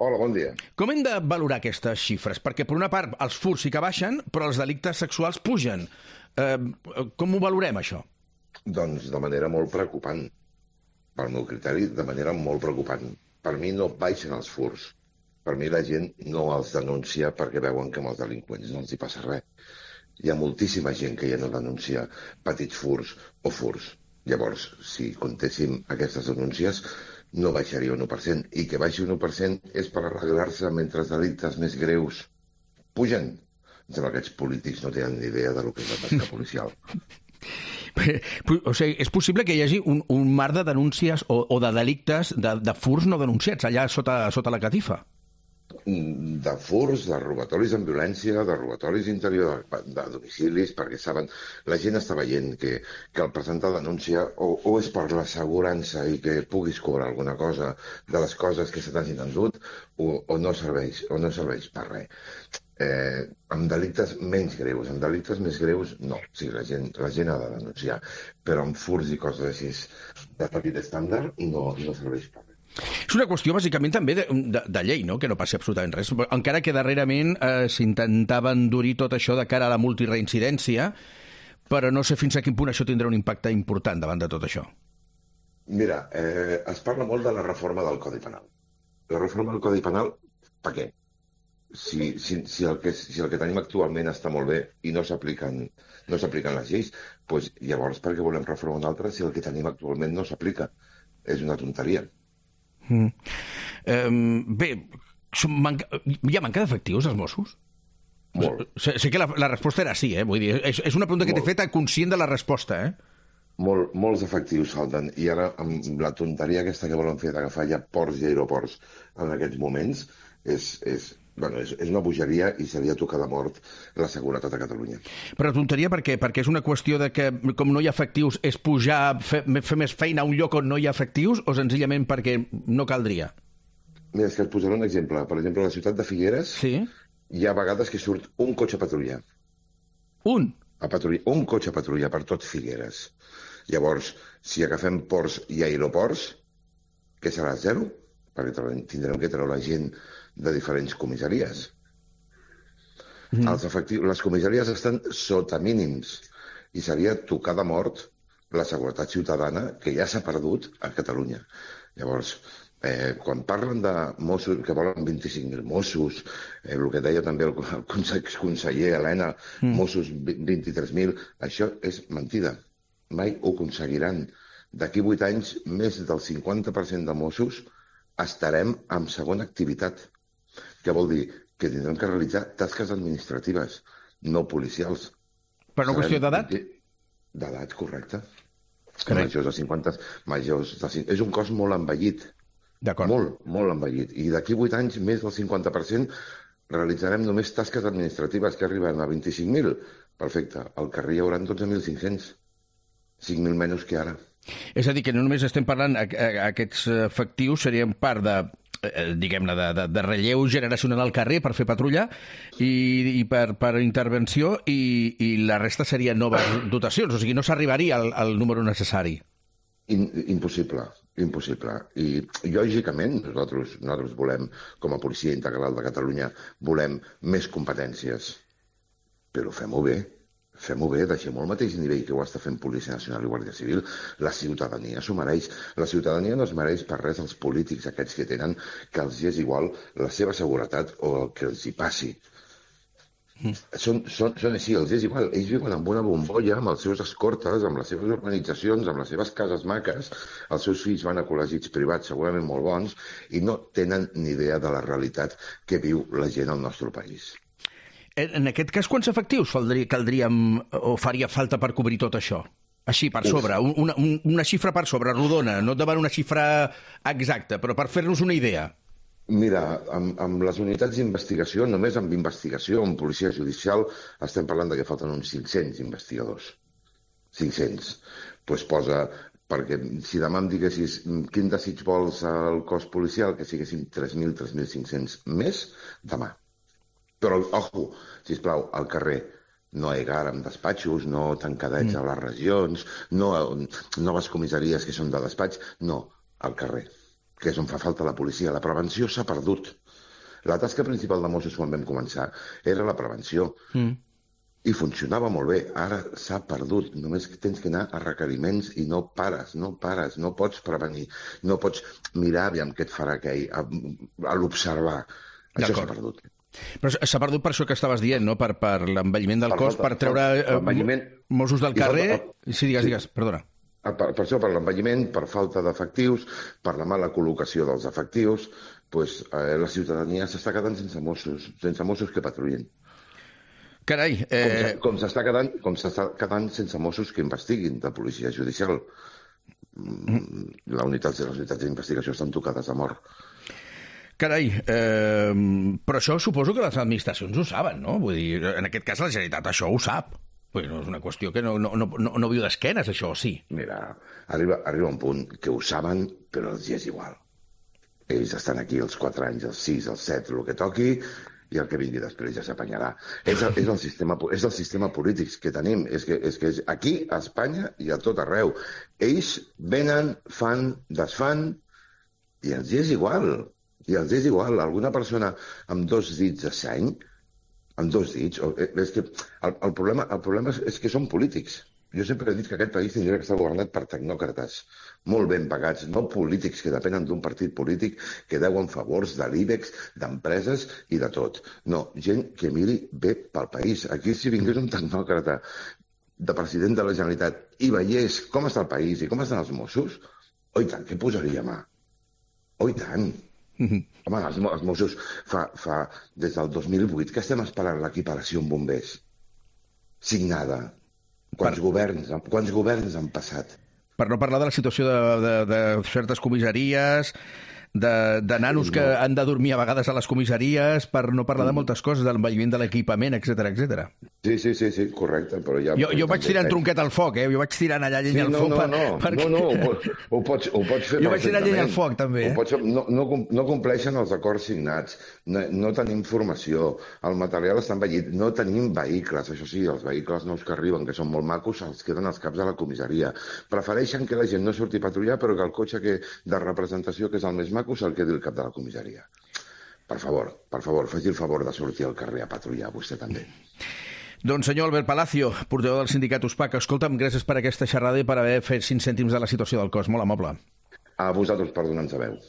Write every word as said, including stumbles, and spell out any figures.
Hola, bon dia. Com hem de valorar aquestes xifres? Perquè, per una part, els furts sí que baixen, però els delictes sexuals pugen. Eh, com ho valorem, això? Doncs de manera molt preocupant. Pel meu criteri, de manera molt preocupant. Per mi no baixen els furts. Per mi la gent no els denuncia perquè veuen que amb els delinqüents no els hi passa res. Hi ha moltíssima gent que ja no denuncia petits furts o furts. Llavors, si comptéssim aquestes denúncies, no baixaria un u per cent. I que baixi un u per cent és per arreglar-se mentre els delictes més greus pugen. Em sembla que aquests polítics no tenen ni idea de lo que és la tasca policial. O sigui, és possible que hi hagi un, un mar de denúncies o, o de delictes, de, de furts no denunciats, allà sota, sota la catifa? De furts, de robatoris amb violència, de robatoris interior de, de domicilis, perquè saben, la gent està veient que, que el presentar denúncia o, o és per l'assegurança i que puguis cobrar alguna cosa de les coses que se t'hagin endut o, o, no serveix, o no serveix per res. Eh, amb delictes menys greus, amb delictes més greus, no. O sigui, la gent, la gent ha de denunciar, però amb furts i coses així de petit estàndard no, no serveix per res. És una qüestió, bàsicament, també de, de, de llei, no?, que no passi absolutament res. Encara que darrerament eh, s'intentava endurir tot això de cara a la multireincidència, però no sé fins a quin punt això tindrà un impacte important davant de tot això. Mira, eh, es parla molt de la reforma del Codi Penal. La reforma del Codi Penal, per què? Si, si, si, el que, si el que tenim actualment està molt bé i no s'apliquen no s'apliquen les lleis, doncs llavors per què volem reformar una altra si el que tenim actualment no s'aplica? És una tonteria. Mm. Um, bé, manca, hi ha manca d'efectius als Mossos? Molt. Sé, sé que la, la resposta era sí, eh? Vull dir, és, és una pregunta que t'he feta conscient de la resposta, eh? Molt, molts efectius falten, i ara amb la tonteria aquesta que volen fer d'agafar ja ports i aeroports en aquests moments és, és, bueno, és, és una bogeria i seria tocar de mort la seguretat a Catalunya. Però tonteria per què? Perquè és una qüestió de que com no hi ha efectius és pujar, fer, fer més feina a un lloc on no hi ha efectius o senzillament perquè no caldria? Mira, és que et posaré un exemple. Per exemple, a la ciutat de Figueres sí? Hi ha vegades que surt un cotxe a patrullar. Un? A patrullar, un cotxe a patrullar per tot Figueres. Llavors, si agafem ports i aeroports, què serà? Zero? Perquè tindrem que treure la gent de diferents comissaries. Mm. Els efectius, les comissaries estan sota mínims i seria tocar de mort la seguretat ciutadana que ja s'ha perdut a Catalunya. Llavors, eh, quan parlen de Mossos, que volen vint-i-cinc mil Mossos, eh, el que deia també el conseller Helena, mm. Mossos vint-i-tres mil, això és mentida. Mai ho aconseguiran. D'aquí vuit anys, més del cinquanta per cent de Mossos estarem en segona activitat. Què vol dir? Que tindrem que realitzar tasques administratives, no policials. Per una qüestió d'edat? D'edat, correcte. Majors de cinquanta, majors de cinquanta... És un cos molt envellit. D'acord. Molt, molt envellit. I d'aquí vuit anys, més del cinquanta per cent realitzarem només tasques administratives que arriben a vint-i-cinc mil. Perfecte. Al carrer hi haurà dotze mil cinc-cents. cinc mil menys que ara. És a dir, que no només estem parlant, aquests efectius serien part de, diguem-ne, de, de, de relleu generacional al carrer per fer patrulla i, i per, per intervenció i, i la resta serien noves dotacions, o sigui, no s'arribaria al, al número necessari. In, impossible, impossible. I lògicament nosaltres, nosaltres volem, com a Policia Integral de Catalunya, volem més competències, però fem-ho bé. Fem-ho bé, deixem-ho al mateix nivell que ho està fent Policia Nacional i Guàrdia Civil. La ciutadania s'ho mereix. La ciutadania no es mereix per res els polítics aquests que tenen que els és igual la seva seguretat o el que els hi passi. Mm. Són, són, són així, els és igual. Ells viuen amb una bombolla, amb els seus escortes, amb les seves organitzacions, amb les seves cases maques. Els seus fills van a col·legis privats segurament molt bons i no tenen ni idea de la realitat que viu la gent al nostre país. En aquest cas, quants efectius caldríem o faria falta per cobrir tot això? Així, per sobre, una, una xifra per sobre, rodona, no et demano una xifra exacta, però per fer-nos una idea. Mira, amb, amb les unitats d'investigació, només amb investigació, amb policia judicial, estem parlant de que falten uns cinc-cents investigadors. cinc-cents. Doncs posa, perquè si demà em diguessis quin desig vols al cos policial, que siguessin tres mil, tres mil cinc-cents més, demà. Però, ojo, sisplau, al carrer, no egar amb despatxos, no tancadets mm. a les regions, no noves comissaries que són de despatx, no, al carrer. que és on fa falta la policia. La prevenció s'ha perdut. La tasca principal de Mossos quan vam començar era la prevenció. Mm. I funcionava molt bé. Ara s'ha perdut. Només tens que anar a requeriments i no pares, no pares, no pots prevenir, no pots mirar aviam què et farà aquell, a, a l'observar. Això s'ha perdut. Però s'ha perdut per això que estaves dient, no? Per, per l'envelliment del per cos, per treure eh, Mossos del carrer... Falta... Sí, digues, digues, perdona. Per, per això, per l'envelliment, per falta d'efectius, per la mala col·locació dels efectius, pues, eh, la ciutadania s'està quedant sense Mossos, sense Mossos que patrullin. Carai... Eh... Com s'està quedant, com s'està quedant sense Mossos que investiguin de policia judicial. Mm. La unitat, les unitats d'investigació estan tocades a mort. Carai, eh, però això suposo que les administracions ho saben, no? Vull dir, en aquest cas la Generalitat això ho sap. Vull dir, no és una qüestió que no, no, no, no viu d'esquenes, això, sí. Mira, arriba, arriba un punt que ho saben, però els és igual. Ells estan aquí els quatre anys, els sis, els set, el que toqui, i el que vingui després ja s'apanyarà. És, el, és, el sistema, és el sistema polític que tenim. És que, és que és aquí, a Espanya i a tot arreu. Ells venen, fan, desfan, i els és igual. I els és igual. Alguna persona amb dos dits de seny, amb dos dits... És que el, el, problema, el problema és, és que són polítics. Jo sempre he dit que aquest país tindria que estar governat per tecnòcrates, molt ben pagats, no polítics que depenen d'un partit polític que deuen favors de l'IBEX, d'empreses i de tot. No, gent que miri bé pel país. Aquí si vingués un tecnòcrata de president de la Generalitat i veiés com està el país i com estan els Mossos, oi tant, què posaria mà? Oi tant. Mm-hmm. Home, els, els Mossos fa, fa des del dos mil vuit que estem esperant l'equiparació amb bombers. Signada. Quants, per... governs, quants governs han passat? Per no parlar de la situació de, de, de certes comissaries, de, de nanos sí, no. que han de dormir a vegades a les comissaries, per no parlar de moltes coses, de l'envelliment de l'equipament, etcètera, etcètera. Sí, sí, sí, sí, correcte. Però ja, jo jo vaig tirant eh? tronquet al foc, eh? Jo vaig tirant allà llenya sí, al no, foc. No, no, no, perquè... no, no, ho pots, ho pots, ho pots fer jo vaig tirant llenya al foc, també. Eh? Pots, no, no, no compleixen els acords signats, no, no tenim formació, el material està envellit, no tenim vehicles, això sí, els vehicles nous que arriben, que són molt macos, els queden als caps de la comissaria. Prefereixen que la gent no surti a patrullar, però que el cotxe que, de representació, que és el més maco, se'l quedi al cap de la comissaria. Per favor, per favor, faci el favor de sortir al carrer a patrullar, vostè també. Doncs senyor Albert Palacio, portaveu del sindicat USPAC, escolta'm, gràcies per aquesta xerrada i per haver fet cinc cèntims de la situació del cos. Molt amable. A vosaltres per donar-nos veu.